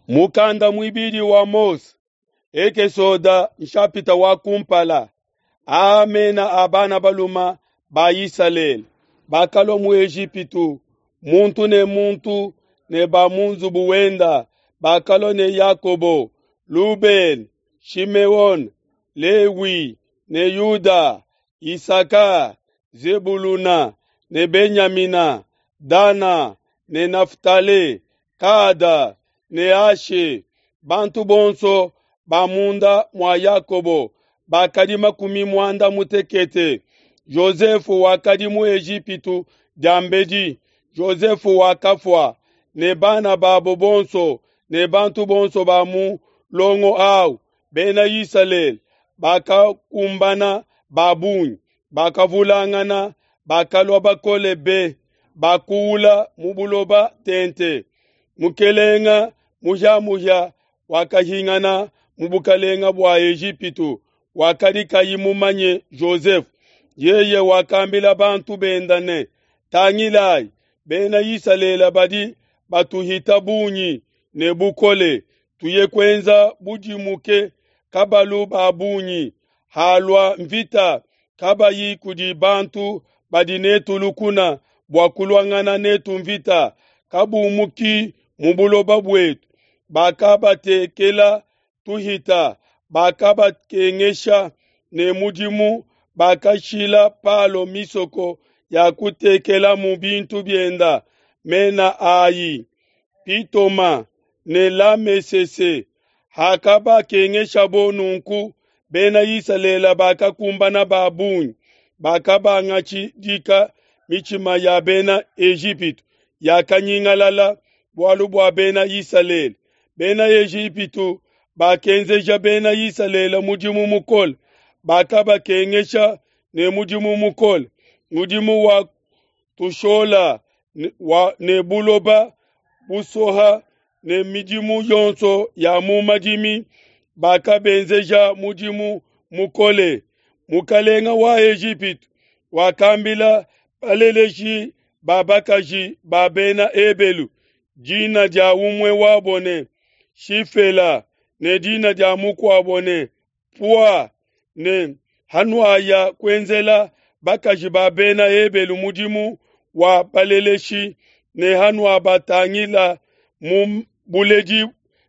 Mukanda muibidi wa Mose, Ekesoda nshapita wa kumpala. Aa mena a bana baluma ba Isalele bakalua mu Ejipitu, muntu ne muntu ne ba mu nzubu wenda, bakalua ne Yakobo, Lubene, Shimeone, Lewi ne Yuda, Isaka, Zebuluna ne Benyamina, Dana ne Naftale, Kada ne Ashe. Bantu bonso ba munda mua Yakobo bakadi 60. Jozefe wakadi mu Ejipitu diambedi. Jozefe wakafua ne bana babo bonso ne bantu bonso ba mu longo au bena Isalele bakakumbana ba bungi, bakavulangana, bakalua bakole be, bakuula mu buloba tente. Mukelenga muhiamuhia wakahingana mu bukalenga bua Ejipitu, wakadi kayi mumanye Jozefe. Yeye wakambila bantu benda ne, Tangilayi, bena Isalele badi batuhita bungi ne bukole, tuye kuenza budimuke kabalu ba bungi. Halua mvita kabayi kudi bantu badi netu lukuna bua kuluangana netu mvita, kabumuki mu buloba buetu. Bakabatekela tuhita, bakabakengesha ne mudimu, bakashila Palo misoko ya kutekelamu bintu bienda, mena ayi Pitoma ne Lamesese. Hakabakengeshabo nunku, bena Isalele bakakumbana ba bungi, bakabangatshidika mitshima ya bena Ejipitu yakanyingalala bualu bua bena Isalele. Bena Ejipitu bakenzeja bena Isalele mudimu mukole, bakabakengesha ne mudimu mukole, mudimu wa tushola ne buloba busoha ne midimu yonso ya mu madimi, bakabenzeja mudimu mukole. Mukalenga wa Ejipitu wakambila baleleshi ba bakaji ba bena Ebelu dina dia umue wabo ne Shifela ne dina dia mukuabo ne Pua ne hanuaya kuenzela bakaji ba bena Ebelu mudimu wa baleleshi ne hanuabatangila mu buledi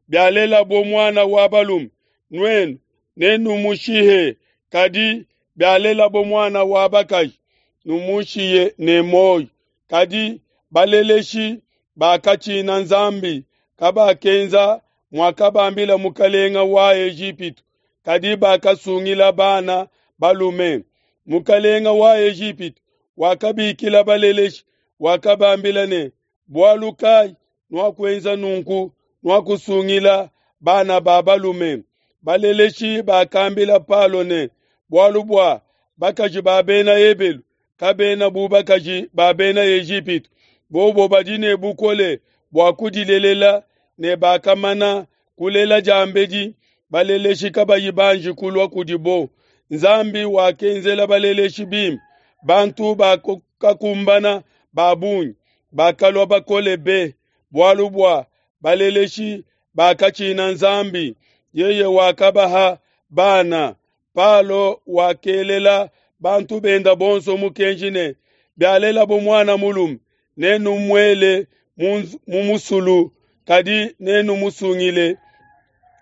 bialelabo muana wa balume, nuenu nenumushihe, kadi bialelabo muana wa bakaji, numushiye ne muoyo. Kadi baleleshi bakatshina Nzambi, kabakenza muakabambila mukalenga wa Ejipitu, kadi bakasungila bana balume. Mukalenga wa Ejipitu wakabikila baleleshi, wakabambila ne, bualu kai nuakuenza nunku, nuakusungila bana ba balume? Baleleshi bakambila Palo ne, bualu bua bakaji ba bena Ebelu kabena bu bakaji ba bena Ejipitu, bobo badi ne bukole bua kudilelela ne bakamana kulela diambedi, baleleshi kabayi banji kulua kudibo. Nzambi wakenzela baleleshi bimpe, bantu bakakumbana ba bungi, bakalua bakole be, bualu bua baleleshi bakatshina Nzambi, yeye wakabaha bana. Palo wakelela bantu benda bonso mukenji ne, bialelabo muana mulume, nenumuele mu musulu, kadi nenumusungile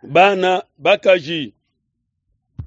bana bakaji.